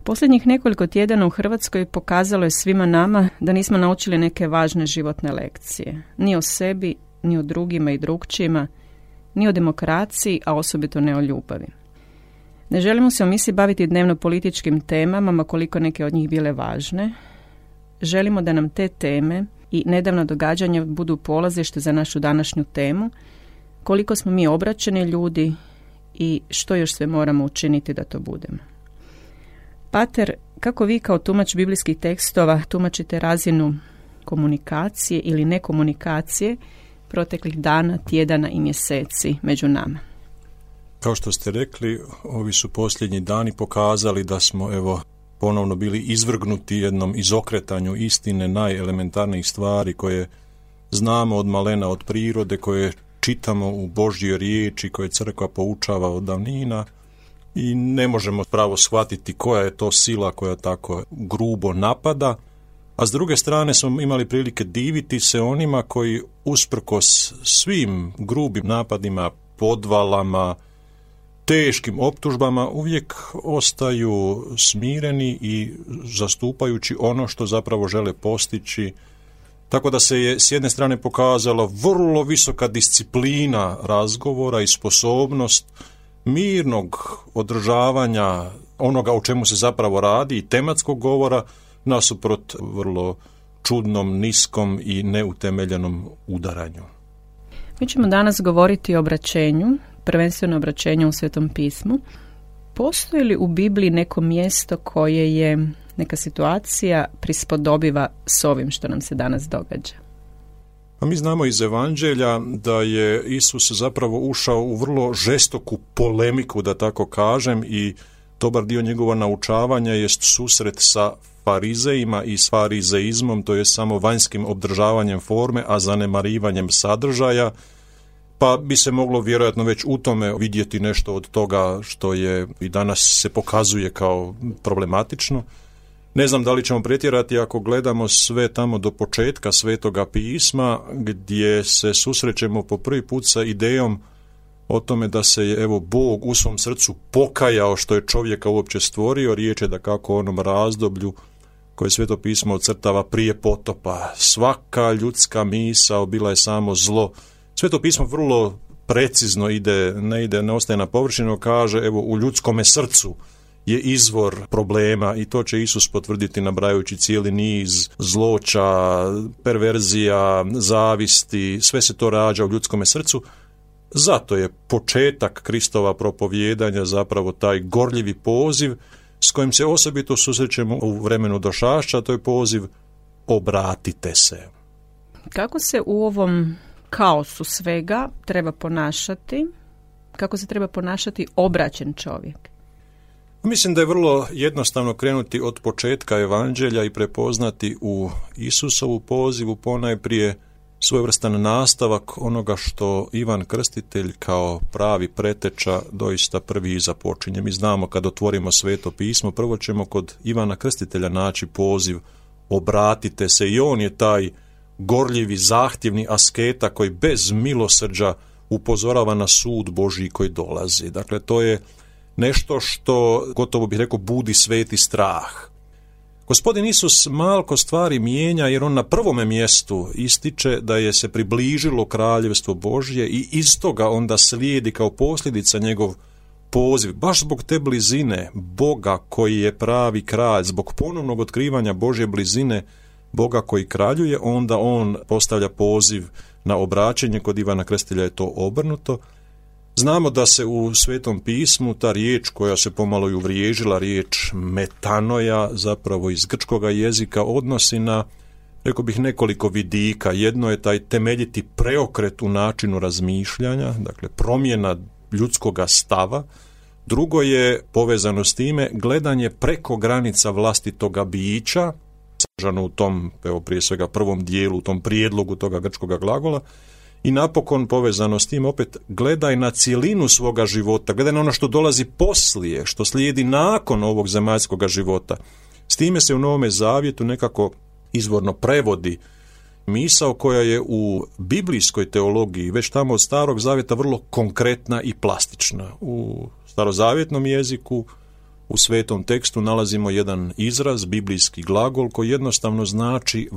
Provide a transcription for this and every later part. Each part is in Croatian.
Posljednjih nekoliko tjedana u Hrvatskoj pokazalo je svima nama da nismo naučili neke važne životne lekcije. Ni o sebi, ni o drugima i drugčijima, ni o demokraciji, a osobito ne o ljubavi. Ne želimo se u misiji baviti dnevno političkim temama, ma koliko neke od njih bile važne. Želimo da nam te teme i nedavna događanja budu polazište za našu današnju temu, koliko smo mi obraćeni ljudi i što još sve moramo učiniti da to budemo. Pater, kako vi kao tumač biblijskih tekstova tumačite razinu komunikacije ili nekomunikacije proteklih dana, tjedana i mjeseci među nama? Kao što ste rekli, ovi su posljednji dani pokazali da smo ponovno bili izvrgnuti jednom izokretanju istine najelementarnijih stvari koje znamo od malena, od prirode, koje čitamo u Božjoj riječi, koje crkva poučava od davnina i ne možemo pravo shvatiti koja je to sila koja tako grubo napada, a s druge strane smo imali prilike diviti se onima koji usprkos svim grubim napadima, podvalama, teškim optužbama uvijek ostaju smireni i zastupajući ono što zapravo žele postići. Tako da se je s jedne strane pokazala vrlo visoka disciplina razgovora i sposobnost mirnog održavanja onoga o čemu se zapravo radi i tematskog govora nasuprot vrlo čudnom, niskom i neutemeljenom udaranju. Mi ćemo danas govoriti o obraćenju, prvenstveno obraćenju u Svetom pismu. Postoji li u Bibliji neko mjesto koje je neka situacija prispodobiva s ovim što nam se danas događa? A mi znamo iz Evanđelja da je Isus zapravo ušao u vrlo žestoku polemiku, da tako kažem, i dobar dio njegova naučavanja jest susret sa farizejima i s farizeizmom, to je samo vanjskim obdržavanjem forme, a zanemarivanjem sadržaja, pa bi se moglo vjerojatno već u tome vidjeti nešto od toga što je i danas se pokazuje kao problematično. Ne znam da li ćemo pretjerati ako gledamo sve tamo do početka Svetoga pisma, gdje se susrećemo po prvi put sa idejom o tome da se je Bog u svom srcu pokajao što je čovjeka uopće stvorio. Riječ je dakako o onom razdoblju koje Sveto pismo ocrtava prije potopa. Svaka ljudska misao bila je samo zlo. Sveto pismo vrlo precizno ne ostaje na površinu, kaže u ljudskome srcu je izvor problema i to će Isus potvrditi nabrajajući cijeli niz zloća, perverzija, zavisti, sve se to rađa u ljudskome srcu. Zato je početak Kristova propovijedanja zapravo taj gorljivi poziv s kojim se osobito susrećemo u vremenu došašća, to je poziv obratite se. Kako se u ovom kaosu svega treba ponašati? Kako se treba ponašati obraćen čovjek? Mislim da je vrlo jednostavno krenuti od početka Evanđelja i prepoznati u Isusovu pozivu ponajprije svojevrstan nastavak onoga što Ivan Krstitelj kao pravi preteča doista prvi započinje. Mi znamo kad otvorimo Sveto pismo, prvo ćemo kod Ivana Krstitelja naći poziv obratite se i on je taj gorljivi, zahtjevni asketa koji bez milosrđa upozorava na sud Božji koji dolazi. Dakle, to je nešto što, gotovo bih rekao, budi sveti strah. Gospodin Isus malko stvari mijenja jer on na prvome mjestu ističe da je se približilo kraljevstvo Božje i iz toga onda slijedi kao posljedica njegov poziv, baš zbog te blizine Boga koji je pravi kralj, zbog ponovnog otkrivanja Božje blizine Boga koji kraljuje, onda on postavlja poziv na obraćenje. Kod Ivana Krstitelja je to obrnuto. Znamo da se u Svetom pismu ta riječ koja se pomalo i uvriježila, riječ metanoja, zapravo iz grčkoga jezika, odnosi na, rekao bih, nekoliko vidika. Jedno je taj temeljiti preokret u načinu razmišljanja, dakle promjena ljudskoga stava. Drugo je povezano s time gledanje preko granica vlastitoga bića, sadržano u tom, prije svega prvom dijelu, u tom prijedlogu toga grčkoga glagola. I napokon povezano s tim opet gledaj na cjelinu svoga života, gledaj na ono što dolazi poslije, što slijedi nakon ovog zemaljskoga života. S time se u Novome Zavjetu nekako izvorno prevodi misao koja je u biblijskoj teologiji već tamo od Starog Zavjeta vrlo konkretna i plastična. U starozavjetnom jeziku u svetom tekstu nalazimo jedan izraz, biblijski glagol, koji jednostavno znači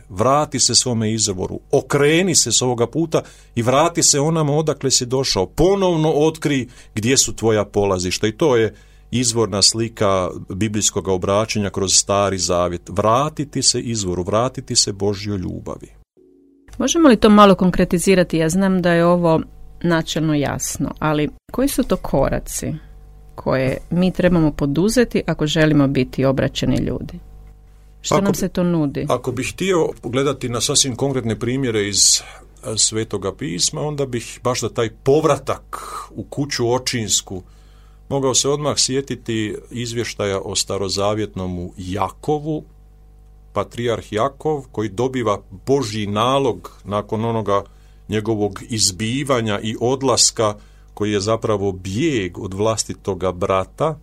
vrati se svome izvoru, okreni se s ovoga puta i vrati se onamo odakle si došao, ponovno otkri gdje su tvoja polazišta. I to je izvorna slika biblijskog obraćanja kroz Stari Zavjet. Vratiti se izvoru, vratiti se Božjoj ljubavi. Možemo li to malo konkretizirati? Ja znam da je ovo načelno jasno, ali koji su to koraci koje mi trebamo poduzeti ako želimo biti obraćeni ljudi? Što nam se to nudi? Ako bih htio gledati na sasvim konkretne primjere iz Svetoga pisma, onda bih baš da taj povratak u kuću očinsku mogao se odmah sjetiti izvještaja o starozavjetnom Jakovu, patrijarh Jakov, koji dobiva Božji nalog nakon onoga njegovog izbivanja i odlaska, koji je zapravo bijeg od vlastitoga brata.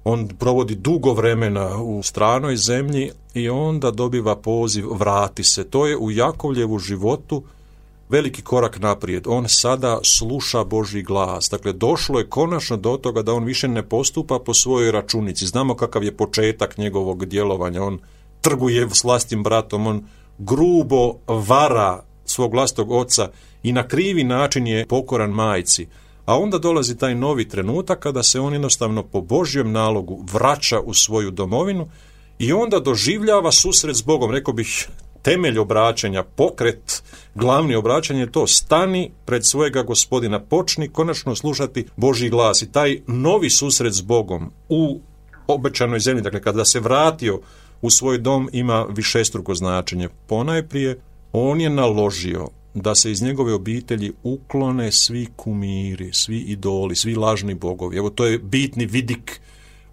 On provodi dugo vremena u stranoj zemlji i onda dobiva poziv vrati se. To je u Jakovljevu životu veliki korak naprijed. On sada sluša Božji glas. Dakle, došlo je konačno do toga da on više ne postupa po svojoj računici. Znamo kakav je početak njegovog djelovanja. On trguje s vlastim bratom, on grubo vara svog vlastitog oca i na krivi način je pokoran majci. A onda dolazi taj novi trenutak kada se on jednostavno po Božjem nalogu vraća u svoju domovinu i onda doživljava susret s Bogom. Rekao bih, temelj obraćanja, pokret, glavni obraćanje je to: stani pred svojega Gospodina, počni konačno slušati Božji glas. I taj novi susret s Bogom u obećanoj zemlji, dakle kada se vratio u svoj dom, ima višestruko značenje. Ponajprije, on je naložio da se iz njegove obitelji uklone svi kumiri, svi idoli, svi lažni bogovi. Evo, to je bitni vidik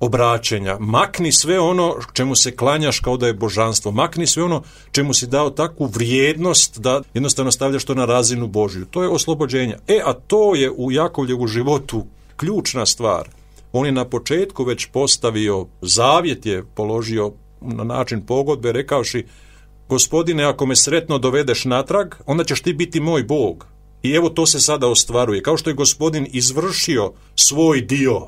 obraćenja. Makni sve ono čemu se klanjaš kao da je božanstvo. Makni sve ono čemu si dao takvu vrijednost da jednostavno stavljaš to na razinu Božju. To je oslobođenje. A to je u Jakovljevu životu ključna stvar. On je na početku već postavio zavjet, je položio na način pogodbe, rekavši: Gospodine, ako me sretno dovedeš natrag, onda ćeš ti biti moj Bog. I evo, to se sada ostvaruje. Kao što je Gospodin izvršio svoj dio,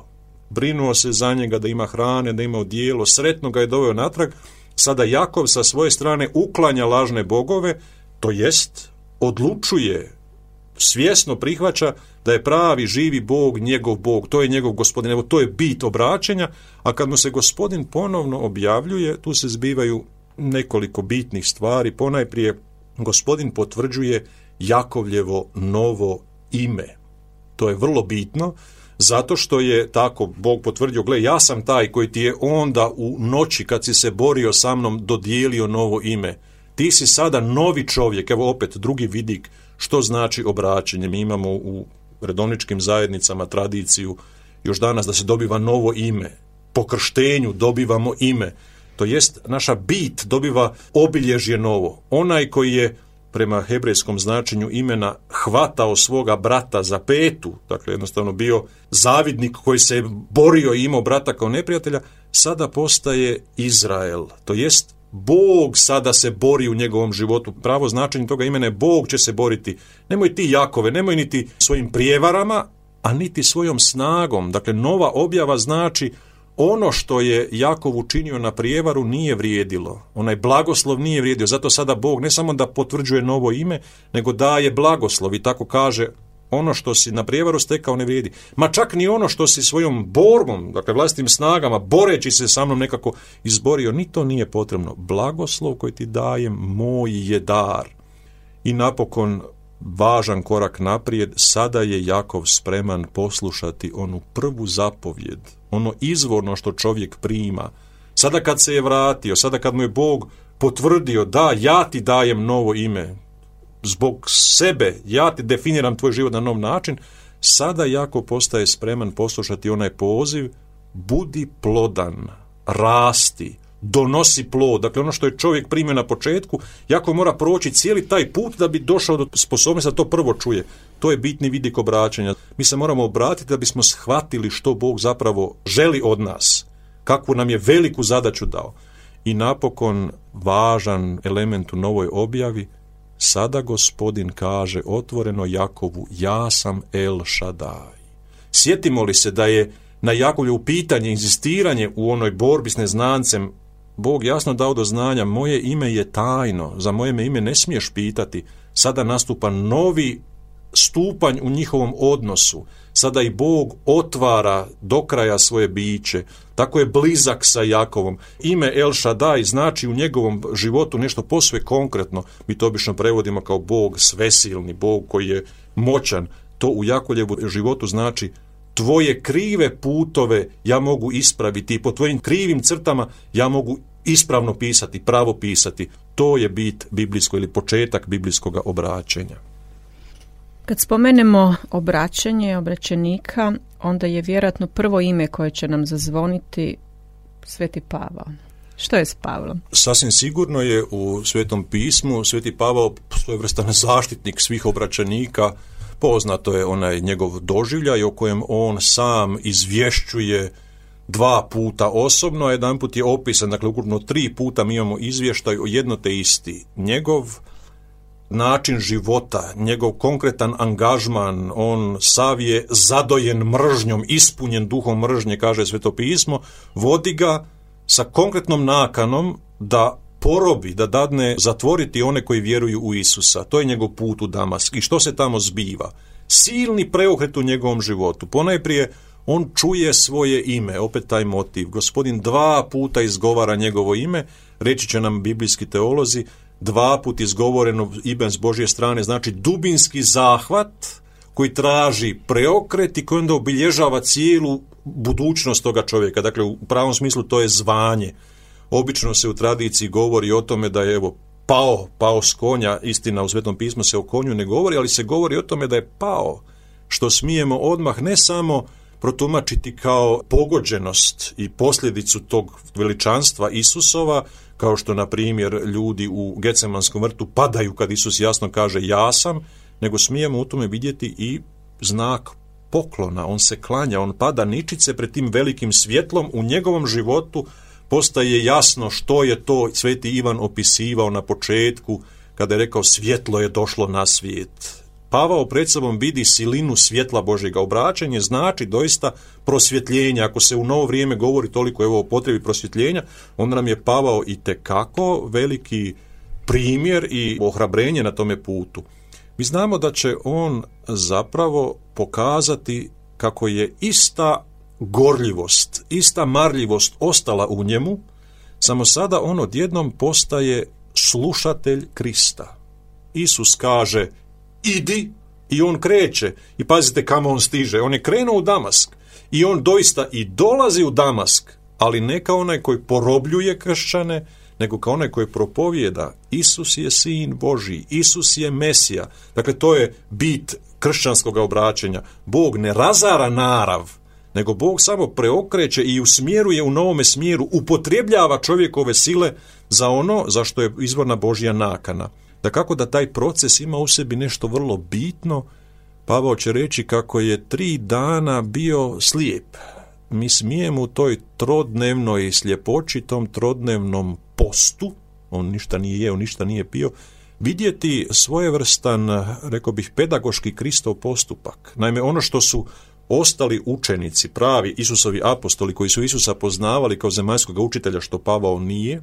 brinuo se za njega da ima hrane, da ima odijelo, sretno ga je doveo natrag, sada Jakov sa svoje strane uklanja lažne bogove, to jest odlučuje, svjesno prihvaća da je pravi živi Bog njegov Bog, to je njegov Gospodin. Evo, to je bit obraćanja, a kad mu se Gospodin ponovno objavljuje, tu se zbivaju nekoliko bitnih stvari. Ponajprije, Gospodin potvrđuje Jakovljevo novo ime. To je vrlo bitno, zato što je tako Bog potvrdio: gle, ja sam taj koji ti je onda u noći kad si se borio sa mnom dodijelio novo ime. Ti si sada novi čovjek. Evo opet drugi vidik što znači obraćanje. Mi imamo u redovničkim zajednicama tradiciju još danas da se dobiva novo ime. Po krštenju dobivamo ime. To jest, naša bit dobiva obilježje novo. Onaj koji je prema hebrejskom značenju imena hvatao svoga brata za petu, dakle jednostavno bio zavidnik koji se borio i imao brata kao neprijatelja, sada postaje Izrael. To jest, Bog sada se bori u njegovom životu. Pravo značenje toga imena je: Bog će se boriti. Nemoj ti, Jakove, nemoj niti svojim prijevarama, a niti svojom snagom. Dakle, nova objava znači: ono što je Jakov učinio na prijevaru nije vrijedilo. Onaj blagoslov nije vrijedio. Zato sada Bog ne samo da potvrđuje novo ime, nego daje blagoslov i tako kaže: ono što si na prijevaru stekao ne vrijedi. Ma čak ni ono što si svojom borbom, dakle vlastitim snagama, boreći se sa mnom nekako izborio, ni to nije potrebno. Blagoslov koji ti dajem, moj je dar. I napokon, važan korak naprijed, sada je Jakov spreman poslušati onu prvu zapovjed, ono izvorno što čovjek prima. Sada kad se je vratio, sada kad mu je Bog potvrdio: da, ja ti dajem novo ime, zbog sebe, ja ti definiram tvoj život na nov način, sada Jakov postaje spreman poslušati onaj poziv: budi plodan, rasti, donosi plod. Dakle, ono što je čovjek primio na početku, Jakov mora proći cijeli taj put da bi došao do sposobnosti da to prvo čuje. To je bitni vidik obraćanja. Mi se moramo obratiti da bismo shvatili što Bog zapravo želi od nas, kakvu nam je veliku zadaću dao. I napokon, važan element u novoj objavi: sada Gospodin kaže otvoreno Jakovu: ja sam El Šadaj. Sjetimo li se da je na Jakovljevo pitanje, inzistiranje u onoj borbi s neznancem, Bog jasno dao do znanja, moje ime je tajno, za moje me ime ne smiješ pitati. Sada nastupa novi stupanj u njihovom odnosu. Sada i Bog otvara do kraja svoje biće. Tako je blizak sa Jakovom. Ime El Shaddai znači u njegovom životu nešto posve konkretno. Mi to obično prevodimo kao Bog svesilni, Bog koji je moćan. To u Jakovljevu životu znači tvoje krive putove ja mogu ispraviti i po tvojim krivim crtama ja mogu ispravno pisati, pravo pisati. To je bit biblijsko ili početak biblijskog obraćenja. Kad spomenemo obraćenje, obraćenika, onda je vjerojatno prvo ime koje će nam zazvoniti Sveti Pavao. Što je s Pavlom? Sasvim sigurno je u Svetom pismu Sveti Pavao svojevrstan zaštitnik svih obraćenika. Poznato je onaj njegov doživljaj o kojem on sam izvješćuje 2 puta osobno, a jedanput je opisan, dakle ukupno 3 puta mi imamo izvještaj o jedno te isti. Njegov način života, njegov konkretan angažman, on sav je zadojen mržnjom, ispunjen duhom mržnje, kaže Sveto pismo, vodi ga sa konkretnom nakanom da porobi, da dadne zatvoriti one koji vjeruju u Isusa. To je njegov put u Damask. I što se tamo zbiva? Silni preokret u njegovom životu. Ponajprije on čuje svoje ime, opet taj motiv. Gospodin 2 puta izgovara njegovo ime, reći će nam biblijski teolozi, 2 put izgovoreno ime s Božje strane, znači dubinski zahvat koji traži preokret i koji onda obilježava cijelu budućnost toga čovjeka. Dakle, u pravom smislu to je zvanje. Obično se u tradiciji govori o tome da je pao s konja, istina u Svetom pismu se o konju ne govori, ali se govori o tome da je pao, što smijemo odmah ne samo protumačiti kao pogođenost i posljedicu tog veličanstva Isusova, kao što, na primjer, ljudi u Getsemanskom vrtu padaju kad Isus jasno kaže ja sam, nego smijemo u tome vidjeti i znak poklona. On se klanja, on pada ničice pred tim velikim svjetlom. U njegovom životu postaje jasno što je to Sveti Ivan opisivao na početku kada je rekao svjetlo je došlo na svijet. Pavao pred sobom vidi silinu svjetla Božjega. Obraćanje znači doista prosvjetljenje. Ako se u novo vrijeme govori toliko o potrebi prosvjetljenja, onda nam je Pavao itekako veliki primjer i ohrabrenje na tome putu. Mi znamo da će on zapravo pokazati kako je ista gorljivost, ista marljivost ostala u njemu, samo sada on odjednom postaje slušatelj Krista. Isus kaže idi i on kreće. I pazite kamo on stiže. On je krenuo u Damask i on doista i dolazi u Damask, ali ne kao onaj koji porobljuje kršćane, nego kao onaj koji propovijeda Isus je sin Božji, Isus je Mesija. Dakle, to je bit kršćanskog obraćanja. Bog ne razara narav, nego Bog samo preokreće i usmjeruje u novome smjeru, upotrebljava čovjekove sile za ono za što je izvorna Božja nakana. Dakako da taj proces ima u sebi nešto vrlo bitno. Pavao će reći kako je 3 dana bio slijep. Mi smijemo u toj trodnevnoj sljepoći, tom trodnevnom postu, on ništa nije jeo, ništa nije pio, vidjeti svojevrstan, rekao bih, pedagoški Kristov postupak. Naime, ono što su ostali učenici, pravi Isusovi apostoli koji su Isusa poznavali kao zemaljskog učitelja, što Pavao nije,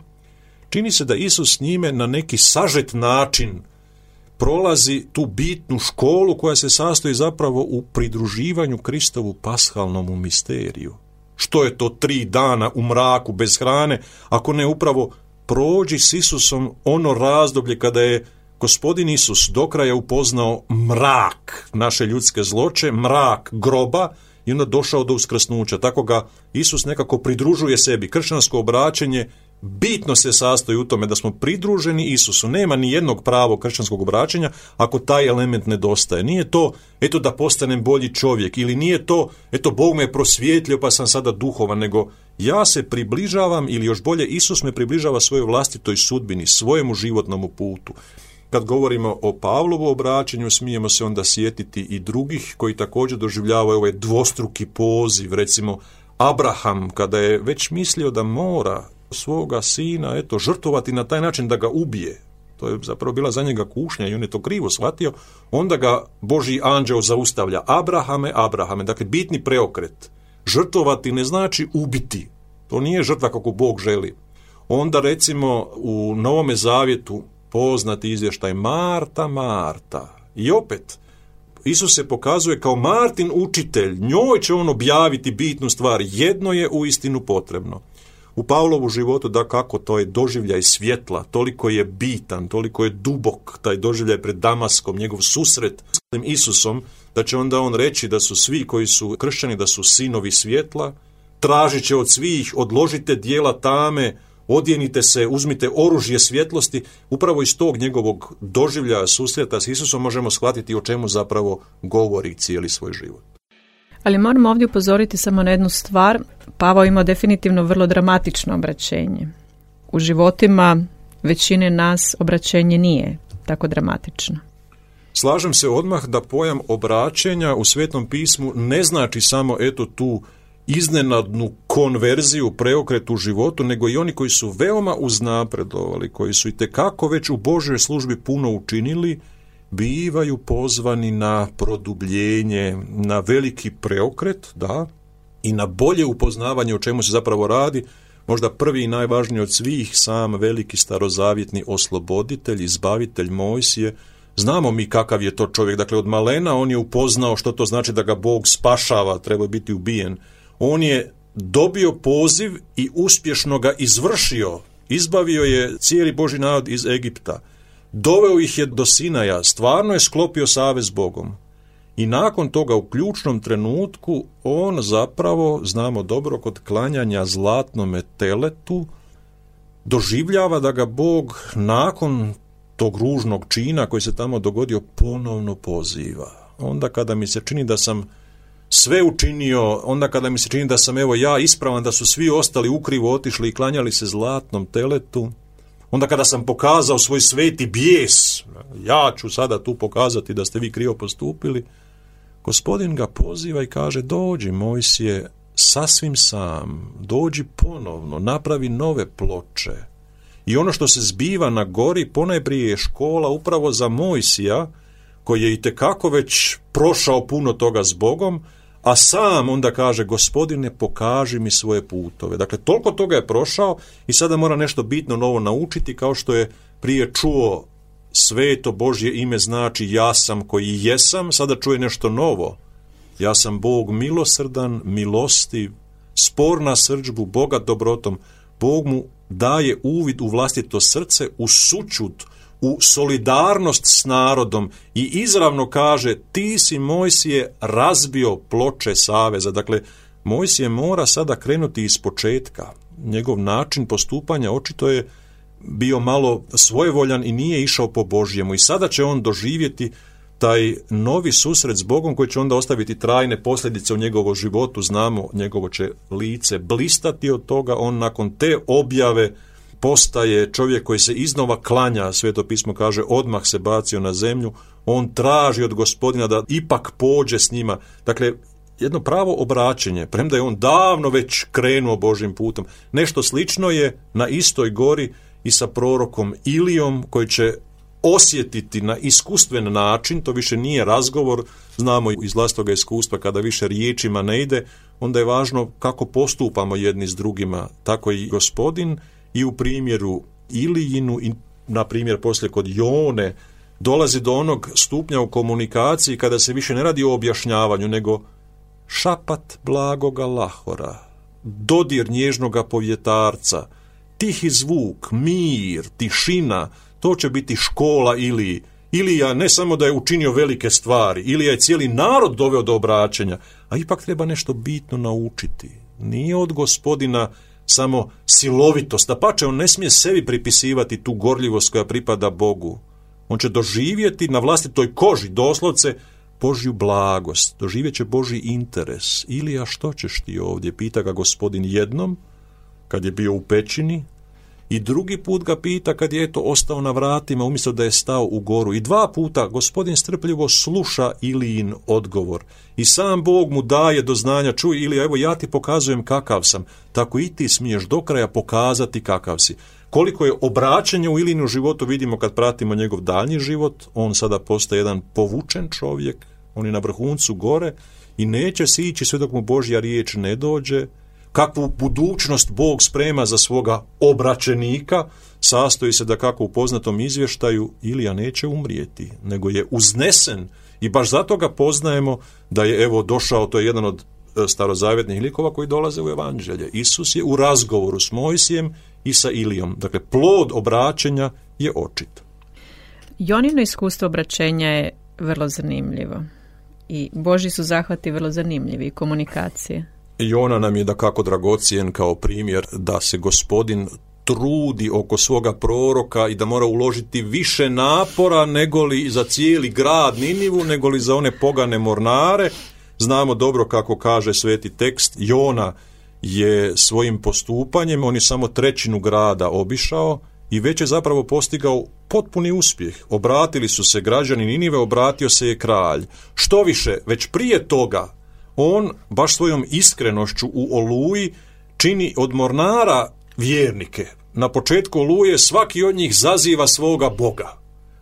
čini se da Isus s njime na neki sažet način prolazi tu bitnu školu koja se sastoji zapravo u pridruživanju Kristovu pashalnom misteriju. Što je to 3 dana u mraku bez hrane, ako ne upravo prođi s Isusom ono razdoblje kada je Gospodin Isus do kraja upoznao mrak naše ljudske zloće, mrak groba i onda došao do uskrsnuća. Tako ga Isus nekako pridružuje sebi. Kršćansko obraćenje bitno se sastoji u tome da smo pridruženi Isusu. Nema ni jednog pravog kršćanskog obraćenja ako taj element nedostaje. Nije to, eto da postanem bolji čovjek, ili nije to, eto Bog me prosvjetlio pa sam sada duhovan, nego ja se približavam, ili još bolje, Isus me približava svojoj vlastitoj sudbini, svojemu životnom putu. Kad govorimo o Pavlovu obraćanju, smijemo se onda sjetiti i drugih koji također doživljavaju ovaj dvostruki poziv. Recimo, Abraham, kada je već mislio da mora svoga sina, žrtvovati na taj način da ga ubije, to je zapravo bila za njega kušnja i on je to krivo shvatio, onda ga Božji anđeo zaustavlja. Abrahame, Abrahame, dakle bitni preokret. žrtvovati ne znači ubiti. To nije žrtva kako Bog želi. Onda recimo u Novome Zavjetu poznati izvještaj Marta, Marta. I opet, Isus se pokazuje kao Martin učitelj, njoj će on objaviti bitnu stvar, jedno je uistinu potrebno. U Pavlovu životu, da kako, to je doživljaj svjetla, toliko je bitan, toliko je dubok taj doživljaj pred Damaskom, njegov susret s Isusom, da će onda on reći da su svi koji su kršćani, da su sinovi svjetla, tražit će od svih, odložite dijela tame, odjenite se, uzmite oružje svjetlosti. Upravo iz tog njegovog doživljaja susreta s Isusom možemo shvatiti o čemu zapravo govori cijeli svoj život. Ali moramo ovdje upozoriti samo na jednu stvar. Pavao ima definitivno vrlo dramatično obraćenje. U životima većine nas obraćenje nije tako dramatično. Slažem se odmah da pojam obraćenja u Svetom pismu ne znači samo tu iznenadnu konverziju, preokret u životu, nego i oni koji su veoma uznapredovali, koji su itekako već u Božjoj službi puno učinili, bivaju pozvani na produbljenje, na veliki preokret, da, i na bolje upoznavanje o čemu se zapravo radi. Možda prvi i najvažniji od svih, sam veliki starozavjetni osloboditelj, izbavitelj Mojsije. Znamo mi kakav je to čovjek, dakle od malena on je upoznao što to znači da ga Bog spašava, treba biti ubijen. On je dobio poziv i uspješno ga izvršio, izbavio je cijeli Božji narod iz Egipta, doveo ih je do Sinaja, stvarno je sklopio savez s Bogom. I nakon toga u ključnom trenutku on zapravo, znamo dobro, kod klanjanja zlatnome teletu, doživljava da ga Bog nakon tog ružnog čina koji se tamo dogodio ponovno poziva. Onda kada mi se čini da sam sve učinio, onda kada mi se čini da sam ja ispravan, da su svi ostali ukrivo otišli i klanjali se zlatnom teletu, onda kada sam pokazao svoj sveti bijes, ja ću sada tu pokazati da ste vi krivo postupili, Gospodin ga poziva i kaže: dođi Mojsije sasvim sam, dođi ponovno, napravi nove ploče. I ono što se zbiva na gori ponajprije je škola upravo za Mojsija, koji je itekako već prošao puno toga s Bogom, a sam onda kaže: Gospodine, pokaži mi svoje putove. Dakle, toliko toga je prošao i sada mora nešto bitno novo naučiti, kao što je prije čuo sveto Božje ime znači ja sam koji jesam, sada čuje nešto novo. Ja sam Bog milosrdan, milostiv, spor na srdžbu, bogat dobrotom. Bog mu daje uvid u vlastito srce, u sućut, u solidarnost s narodom i izravno kaže: ti si Mojsije razbio ploče saveza. Dakle, Mojsije mora sada krenuti iz početka. Njegov način postupanja očito je bio malo svojevoljan i nije išao po Božjemu. I sada će on doživjeti taj novi susret s Bogom koji će onda ostaviti trajne posljedice u njegovom životu. Znamo, njegovo će lice blistati od toga. On nakon te objave postaje čovjek koji se iznova klanja, Sveto pismo kaže, odmah se bacio na zemlju, on traži od Gospodina da ipak pođe s njima. Dakle, jedno pravo obraćenje, premda je on davno već krenuo Božjim putem. Nešto slično je na istoj gori i sa prorokom Ilijom, koji će osjetiti na iskustven način, to više nije razgovor, znamo iz vlastitoga iskustva, kada više riječima ne ide, onda je važno kako postupamo jedni s drugima. Tako i Gospodin i u primjeru Ilijinu i na primjer poslije kod Jone dolazi do onog stupnja u komunikaciji kada se više ne radi o objašnjavanju, nego šapat blagoga lahora, dodir nježnoga povjetarca, tihi zvuk, mir, tišina, to će biti škola Iliji. Ilija ne samo da je učinio velike stvari, Ilija je cijeli narod doveo do obraćanja, a ipak treba nešto bitno naučiti. Nije od Gospodina samo silovitost, dapače, on ne smije sebi pripisivati tu gorljivost koja pripada Bogu. On će doživjeti na vlastitoj koži, doslovce, Božju blagost, doživjet će Božji interes. Ilija, što ćeš ti ovdje? Pita ga Gospodin jednom, kad je bio u pećini, i drugi put ga pita kad je ostao na vratima umjesto da je stao u goru. I dva puta Gospodin strpljivo sluša Ilijin odgovor. I sam Bog mu daje do znanja: čuj Ilija, evo ja ti pokazujem kakav sam, tako i ti smiješ do kraja pokazati kakav si. Koliko je obraćanja u Ilijinu životu vidimo kad pratimo njegov daljnji život. On sada postaje jedan povučen čovjek, on je na vrhuncu gore i neće se ići sve dok mu Božja riječ ne dođe. Kakvu budućnost Bog sprema za svoga obraćenika, sastoji se da kako u poznatom izvještaju Ilija neće umrijeti, nego je uznesen i baš zato ga poznajemo da je evo došao, to je jedan od starozavjetnih likova koji dolaze u evanđelje. Isus je u razgovoru s Mojsijem i sa Ilijom. Dakle, plod obraćenja je očit. Jonino iskustvo obraćenja je vrlo zanimljivo i Božji su zahvati vrlo zanimljivi i komunikacije. Jona nam je dakako dragocjen kao primjer da se Gospodin trudi oko svoga proroka i da mora uložiti više napora nego li za cijeli grad Ninivu, nego li za one pogane mornare. Znamo dobro kako kaže sveti tekst, Jona je svojim postupanjem, on je samo 1/3 grada obišao i već je zapravo postigao potpuni uspjeh. Obratili su se građani Ninive, obratio se je kralj. Što više, već prije toga, on baš svojom iskrenošću u Oluji čini od mornara vjernike. Na početku Oluje svaki od njih zaziva svoga Boga.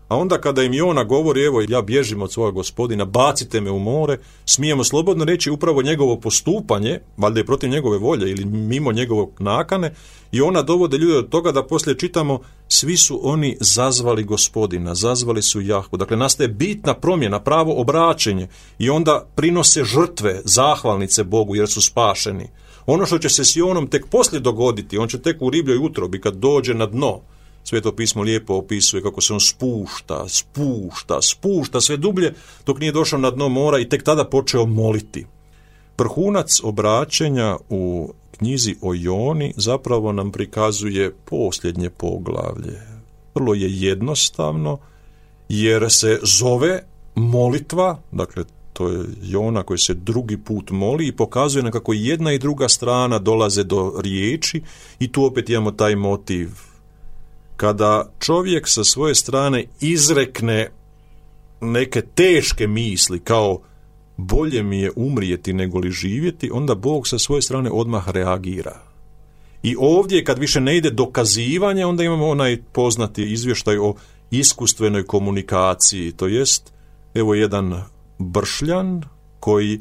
A onda kada im Jona govori, evo ja bježim od svoga Gospodina, bacite me u more, smijemo slobodno reći upravo njegovo postupanje, valjda je protiv njegove volje ili mimo njegovog nakane, i ona dovode ljude do toga da poslije čitamo, svi su oni zazvali Gospodina, zazvali su Jahvu. Dakle, nastaje bitna promjena, pravo obraćenje i onda prinose žrtve, zahvalnice Bogu jer su spašeni. Ono što će se s Jonom tek poslije dogoditi, on će tek u ribljoj utrobi kad dođe na dno. Sveto pismo lijepo opisuje kako se on spušta sve dublje dok nije došao na dno mora i tek tada počeo moliti. Vrhunac obraćenja u knjizi o Joni zapravo nam prikazuje posljednje poglavlje. Vrlo je jednostavno jer se zove molitva, dakle to je Jona koji se drugi put moli i pokazuje nam kako jedna i druga strana dolaze do riječi i tu opet imamo taj motiv. Kada čovjek sa svoje strane izrekne neke teške misli kao bolje mi je umrijeti nego li živjeti, onda Bog sa svoje strane odmah reagira. I ovdje kad više ne ide dokazivanje, onda imamo onaj poznati izvještaj o iskustvenoj komunikaciji, to jest evo jedan bršljan koji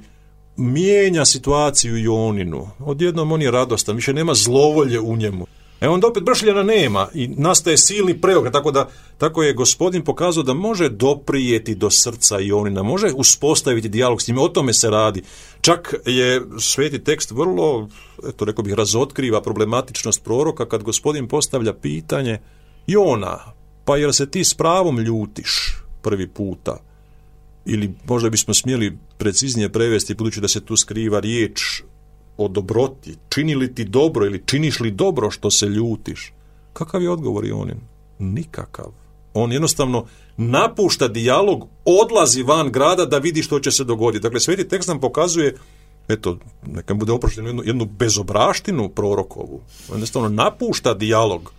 mijenja situaciju Joninu. Odjednom on je radostan, više nema zlovolje u njemu. Onda opet bršljana nema i nastaje silni preokret, tako je Gospodin pokazao da može doprijeti do srca Jonina, može uspostaviti dijalog s njim, o tome se radi. Čak je sveti tekst vrlo, rekao bih, razotkriva problematičnost proroka kad Gospodin postavlja pitanje, Jona, pa jel se ti s pravom ljutiš prvi puta? Ili možda bismo smjeli preciznije prevesti, budući da se tu skriva riječ o dobroti, čini li ti dobro ili činiš li dobro što se ljutiš? Kakav je odgovor Jonin? Nikakav. On jednostavno napušta dijalog, odlazi van grada da vidi što će se dogoditi. Dakle, sveti tekst nam pokazuje, neka bude oprošteno, jednu bezobraštinu prorokovu. On jednostavno napušta dijalog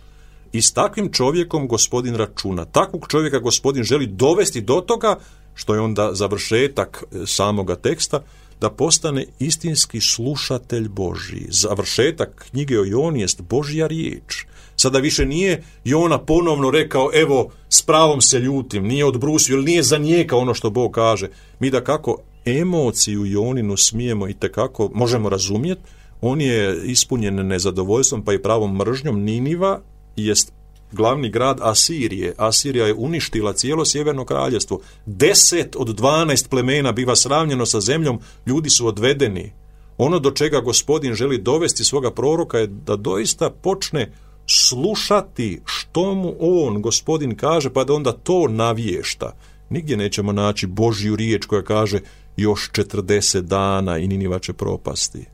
i s takvim čovjekom Gospodin računa. Takvog čovjeka Gospodin želi dovesti do toga, što je onda završetak samoga teksta, da postane istinski slušatelj Božji. Završetak knjige o Joni jest Božja riječ. Sada više nije Jona ponovno rekao, evo, s pravom se ljutim, nije odbrusio ili nije zanijekao ono što Bog kaže. Mi da kako emociju Joninu smijemo i tekako možemo razumjeti, on je ispunjen nezadovoljstvom pa i pravom mržnjom. Niniva jest glavni grad Asirije. Asirija je uništila cijelo sjeverno kraljevstvo. 10 od 12 plemena biva sravnjeno sa zemljom, ljudi su odvedeni. Ono do čega Gospodin želi dovesti svoga proroka je da doista počne slušati što mu on, Gospodin, kaže, pa da onda to navješta. Nigdje nećemo naći Božju riječ koja kaže još 40 dana i Niniva će propasti.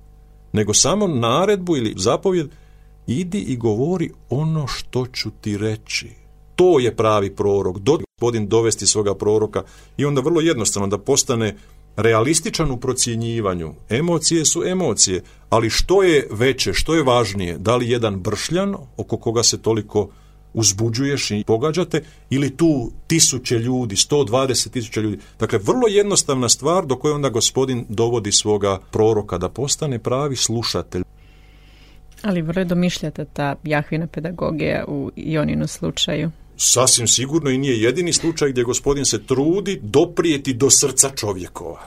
Nego samo naredbu ili zapovjed, idi i govori ono što ću ti reći. To je pravi prorok. Gospodin dovesti svoga proroka i onda vrlo jednostavno da postane realističan u procjenjivanju. Emocije su emocije, ali što je veće, što je važnije? Da li jedan bršljan oko koga se toliko uzbuđuješ i pogađate ili tu 1000 ljudi, 120.000 ljudi? Dakle, vrlo jednostavna stvar do koje onda Gospodin dovodi svoga proroka da postane pravi slušatelj. Ali vrlo domišljata ta Jahvina pedagogija u Joninu slučaju. Sasvim sigurno i nije jedini slučaj gdje Gospodin se trudi doprijeti do srca čovjekova.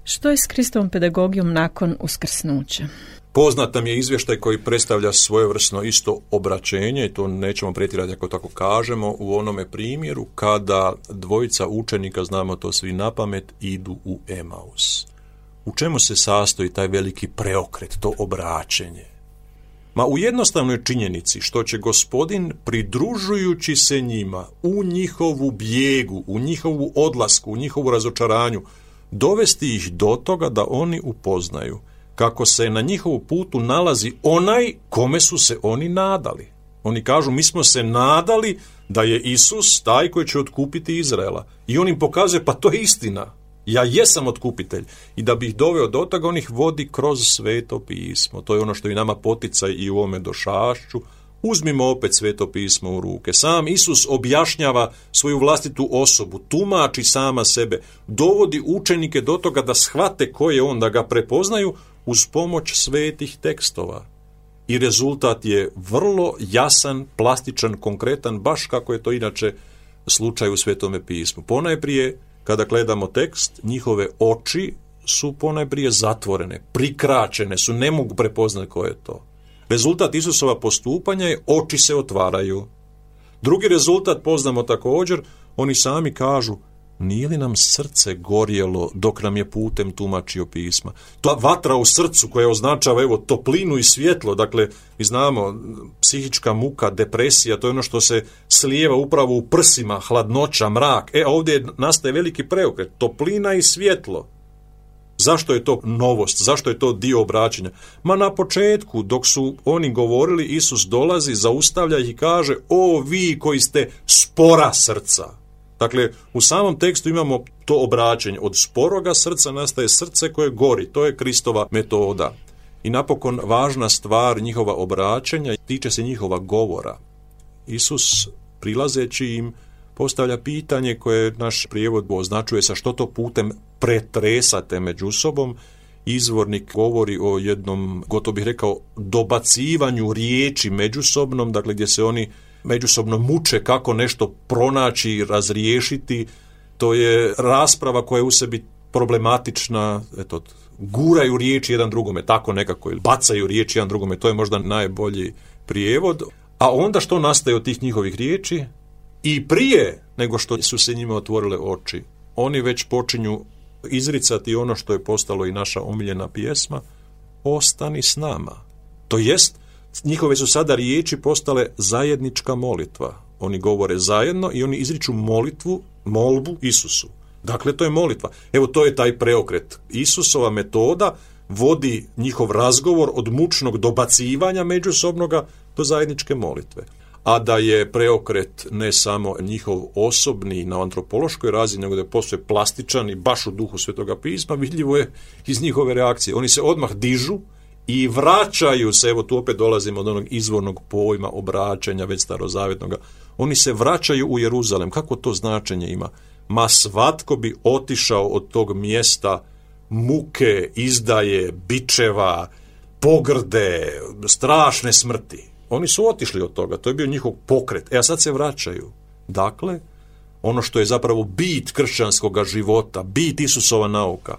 Što je s Kristovom pedagogijom nakon uskrsnuća? Poznat nam je izvještaj koji predstavlja svojevrsno isto obraćenje, i to nećemo pretjerati ako tako kažemo, u onome primjeru kada dvojica učenika, znamo to svi napamet, idu u Emaus. U čemu se sastoji taj veliki preokret, to obraćenje? Ma u jednostavnoj činjenici što će Gospodin, pridružujući se njima u njihovu bijegu, u njihovu odlasku, u njihovu razočaranju, dovesti ih do toga da oni upoznaju kako se na njihovu putu nalazi onaj kome su se oni nadali. Oni kažu, mi smo se nadali da je Isus taj koji će otkupiti Izraela. I on im pokazuje, pa to je istina. Ja jesam otkupitelj. I da bi ih doveo do toga, on ih vodi kroz Sveto pismo. To je ono što i nama poticaj i u ovome došašću. Uzmimo opet Sveto pismo u ruke. Sam Isus objašnjava svoju vlastitu osobu, tumači sama sebe, dovodi učenike do toga da shvate ko je on, da ga prepoznaju uz pomoć svetih tekstova. I rezultat je vrlo jasan, plastičan, konkretan, baš kako je to inače slučaj u Svetome pismu. Ponajprije, kada gledamo tekst, njihove oči su ponajprije zatvorene, prikraćene su, ne mogu prepoznati ko je to. Rezultat Isusova postupanja je oči se otvaraju. Drugi rezultat poznamo također, oni sami kažu, nije li nam srce gorjelo dok nam je putem tumačio pisma? To vatra u srcu koja označava evo toplinu i svjetlo, dakle mi znamo psihička muka, depresija, to je ono što se slijeva upravo u prsima, hladnoća, mrak. Ovdje nastaje veliki preokret, toplina i svjetlo. Zašto je to novost? Zašto je to dio obraćanja? Ma na početku, dok su oni govorili, Isus dolazi, zaustavlja ih i kaže, o vi koji ste spora srca. Dakle, u samom tekstu imamo to obraćanje. Od sporoga srca nastaje srce koje gori. To je Kristova metoda. I napokon važna stvar njihova obraćanja tiče se njihova govora. Isus, prilazeći im, postavlja pitanje koje naš prijevod označuje sa što to putem pretresate među sobom. Izvornik govori o jednom, gotovo bih rekao, dobacivanju riječi međusobnom, dakle gdje se oni međusobno muče kako nešto pronaći i razriješiti. To je rasprava koja je u sebi problematična, guraju riječi jedan drugome, tako nekako, ili bacaju riječi jedan drugome, to je možda najbolji prijevod. A onda što nastaje od tih njihovih riječi? I prije nego što su se njima otvorile oči, oni već počinju izricati ono što je postalo i naša omiljena pjesma, ostani s nama. To jest, njihove su sada riječi postale zajednička molitva. Oni govore zajedno i oni izriču molbu Isusu. Dakle, to je molitva. Evo, to je taj preokret. Isusova metoda vodi njihov razgovor od mučnog dobacivanja međusobnoga do zajedničke molitve. A da je preokret ne samo njihov osobni na antropološkoj razini, nego da je posve plastičan i baš u duhu Svetoga pisma, vidljivo je iz njihove reakcije. Oni se odmah dižu i vraćaju se, evo tu opet dolazimo od onog izvornog pojma obraćanja, već starozavjetnoga. Oni se vraćaju u Jeruzalem. Kako to značenje ima? Ma svatko bi otišao od tog mjesta muke, izdaje, bičeva, pogrde, strašne smrti. Oni su otišli od toga, to je bio njihov pokret. A sad se vraćaju. Dakle, ono što je zapravo bit kršćanskog života, bit Isusova nauka,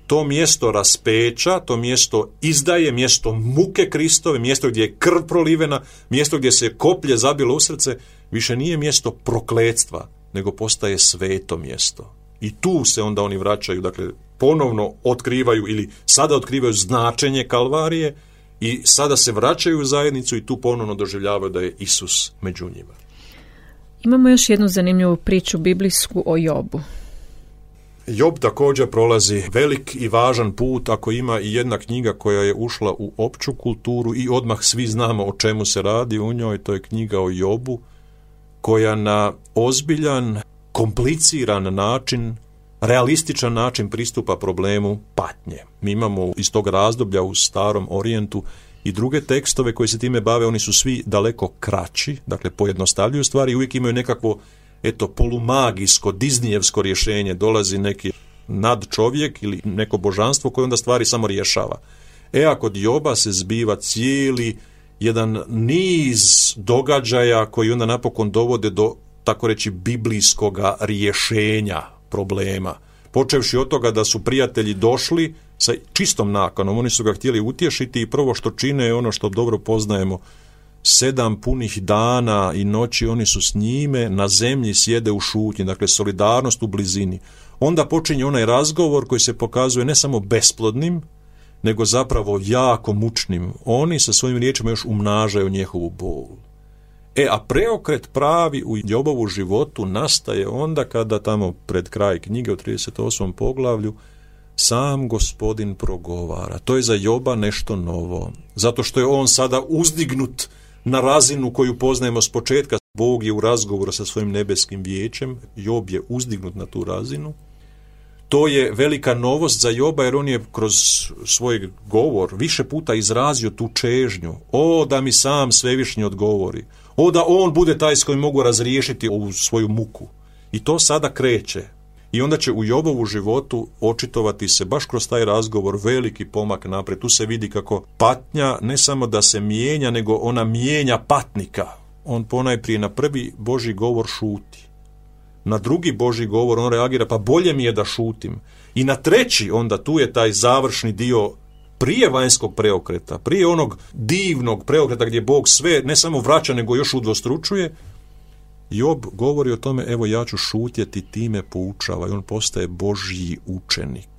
to mjesto raspeća, to mjesto izdaje, mjesto muke Kristove, mjesto gdje je krv prolivena, mjesto gdje se koplje zabilo u srce, više nije mjesto prokletstva, nego postaje sveto mjesto. I tu se onda oni vraćaju, dakle, ponovno otkrivaju ili sada otkrivaju značenje Kalvarije i sada se vraćaju u zajednicu i tu ponovno doživljavaju da je Isus među njima. Imamo još jednu zanimljivu priču biblijsku o Jobu. Job također prolazi velik i važan put, ako ima i jedna knjiga koja je ušla u opću kulturu i odmah svi znamo o čemu se radi u njoj, to je knjiga o Jobu, koja na ozbiljan, kompliciran način, realističan način pristupa problemu patnje. Mi imamo iz tog razdoblja u Starom Orijentu i druge tekstove koji se time bave, oni su svi daleko kraći, dakle pojednostavljuju stvari i uvijek imaju nekakvo polumagijsko, diznijevsko rješenje, dolazi neki nadčovjek ili neko božanstvo koje onda stvari samo rješava. A kod Joba se zbiva cijeli jedan niz događaja koji onda napokon dovode do, tako reći, biblijskoga rješenja problema. Počevši od toga da su prijatelji došli sa čistom nakanom, oni su ga htjeli utješiti i prvo što čine je ono što dobro poznajemo, 7 punih dana i noći oni su s njime, na zemlji sjede u šutnji, dakle solidarnost u blizini. Onda počinje onaj razgovor koji se pokazuje ne samo besplodnim, nego zapravo jako mučnim. Oni sa svojim riječima još umnažaju njihovu bol. A preokret pravi u Jobovu životu nastaje onda kada tamo pred kraj knjige u 38. poglavlju sam Gospodin progovara. To je za Joba nešto novo. Zato što je on sada uzdignut na razinu koju poznajemo s početka. Bog je u razgovoru sa svojim nebeskim vijećem. Job je uzdignut na tu razinu. To je velika novost za Joba jer on je kroz svoj govor više puta izrazio tu čežnju. O, da mi sam Svevišnji odgovori. O, da on bude taj s kojim mogu razriješiti ovu svoju muku. I to sada kreće. I onda će u Jobovu životu očitovati se baš kroz taj razgovor veliki pomak naprijed. Tu se vidi kako patnja ne samo da se mijenja, nego ona mijenja patnika. On ponajprije na prvi Božji govor šuti. Na drugi Božji govor on reagira, pa bolje mi je da šutim. I na treći onda tu je taj završni dio prije vanjskog preokreta, prije onog divnog preokreta gdje Bog sve ne samo vraća, nego još udvostručuje. Job govori o tome, evo ja ću šutjeti, time poučava, i on postaje Božji učenik.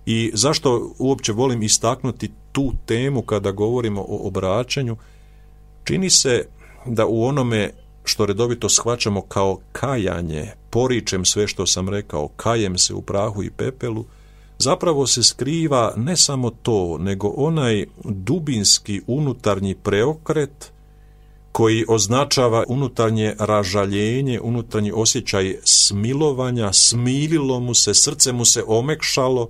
I zašto uopće volim istaknuti tu temu kada govorimo o obraćanju? Čini se da u onome što redovito shvaćamo kao kajanje, poričem sve što sam rekao, kajem se u prahu i pepelu, zapravo se skriva ne samo to, nego onaj dubinski unutarnji preokret koji označava unutarnje ražaljenje, unutarnji osjećaj smilovanja, smililo mu se, srce mu se omekšalo,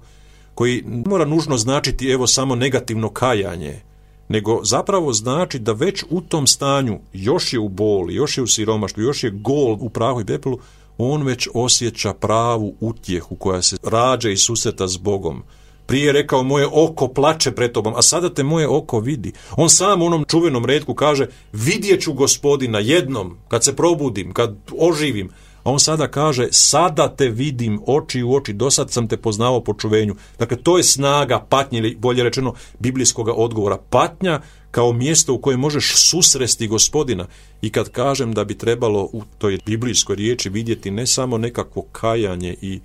koji ne mora nužno značiti evo samo negativno kajanje, nego zapravo znači da već u tom stanju, još je u boli, još je u siromaštvu, još je gol u prahu i pepelu, on već osjeća pravu utjehu koja se rađa i susreta s Bogom. Prije je rekao, moje oko plače pred tobom, a sada te moje oko vidi. On sam u onom čuvenom retku kaže, vidjet ću Gospodina jednom, kad se probudim, kad oživim. A on sada kaže, sada te vidim oči u oči, dosad sam te poznavao po čuvenju. Dakle, to je snaga patnje, ili bolje rečeno, biblijskog odgovora. Patnja kao mjesto u kojem možeš susresti Gospodina. I kad kažem da bi trebalo u toj biblijskoj riječi vidjeti ne samo nekakvo kajanje i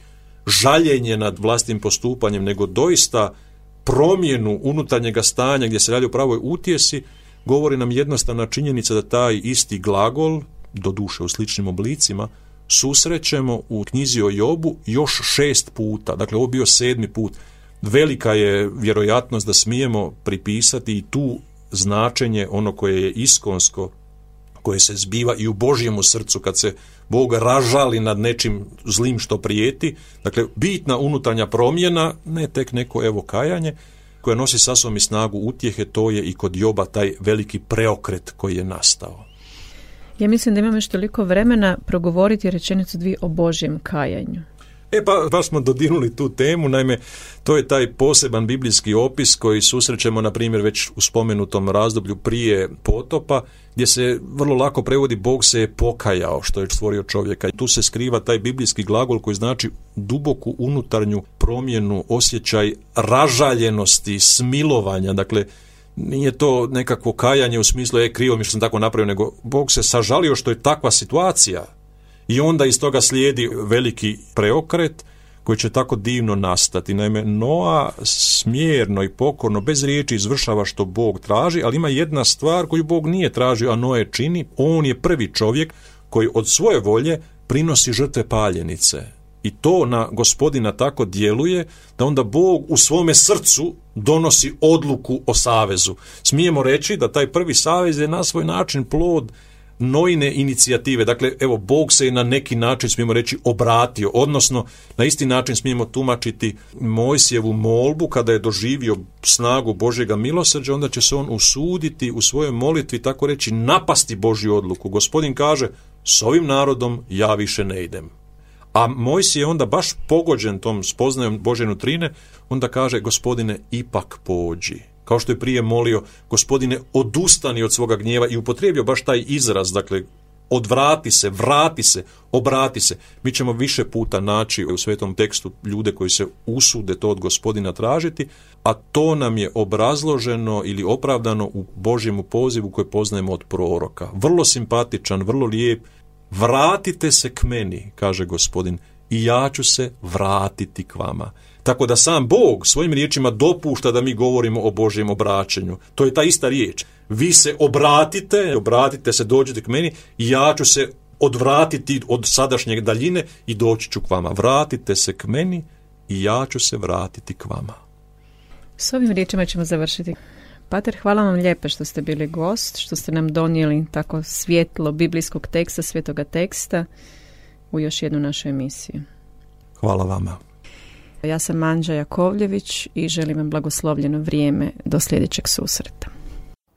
žaljenje nad vlastnim postupanjem, nego doista promjenu unutarnjega stanja gdje se radi o pravoj utjesi, govori nam jednostavna činjenica da taj isti glagol, doduše u sličnim oblicima, susrećemo u knjizi o Jobu još 6 puta. Dakle, ovo bio 7. put. Velika je vjerojatnost da smijemo pripisati i tu značenje ono koje je iskonsko, koje se zbiva i u Božjemu srcu kad se Bog ražali nad nečim zlim što prijeti. Dakle, bitna unutarnja promjena, ne tek neko evo kajanje, koja nosi sa sobom i snagu utjehe, to je i kod Joba taj veliki preokret koji je nastao. Ja mislim da imamo još toliko vremena progovoriti rečenicu 2 o Božjem kajanju. Pa baš smo dodirnuli tu temu, naime, to je taj poseban biblijski opis koji susrećemo, na primjer, već u spomenutom razdoblju prije potopa, gdje se vrlo lako prevodi Bog se je pokajao što je stvorio čovjeka. Tu se skriva taj biblijski glagol koji znači duboku unutarnju promjenu, osjećaj ražaljenosti, smilovanja. Dakle, nije to nekakvo kajanje u smislu krivo mi što sam tako napravio, nego Bog se sažalio što je takva situacija. I onda iz toga slijedi veliki preokret koji će tako divno nastati. Naime, Noa smjerno i pokorno, bez riječi izvršava što Bog traži, ali ima jedna stvar koju Bog nije tražio, a Noe čini. On je prvi čovjek koji od svoje volje prinosi žrtve paljenice. I to na Gospodina tako djeluje da onda Bog u svome srcu donosi odluku o savezu. Smijemo reći da taj prvi savez je na svoj način plod Noine inicijative. Dakle, evo, Bog se je na neki način, smijemo reći, obratio, odnosno na isti način smijemo tumačiti Mojsijevu molbu kada je doživio snagu Božjega milosrđa, onda će se on usuditi u svojoj molitvi, tako reći, napasti Božju odluku. Gospodin kaže, s ovim narodom ja više ne idem. A Mojsije je onda baš pogođen tom spoznajom Božje nutrine, onda kaže, Gospodine, ipak pođi. Kao što je prije molio, Gospodine, odustani od svoga gnjeva, i upotrijebio baš taj izraz, dakle, odvrati se, vrati se, obrati se. Mi ćemo više puta naći u svetom tekstu ljude koji se usude to od Gospodina tražiti, a to nam je obrazloženo ili opravdano u Božjemu pozivu koji poznajemo od proroka. Vrlo simpatičan, vrlo lijep. Vratite se k meni, kaže Gospodin, i ja ću se vratiti k vama. Tako da sam Bog svojim riječima dopušta da mi govorimo o Božjem obraćanju. To je ta ista riječ. Vi se obratite se, dođite k meni i ja ću se odvratiti od sadašnje daljine i doći ću k vama. Vratite se k meni i ja ću se vratiti k vama. S ovim riječima ćemo završiti. Pater, hvala vam lijepo što ste bili gost, što ste nam donijeli tako svjetlo biblijskog teksta, svetoga teksta u još jednu našu emisiju. Hvala vama. Ja sam Anđa Jakovljević i želim vam blagoslovljeno vrijeme do sljedećeg susreta.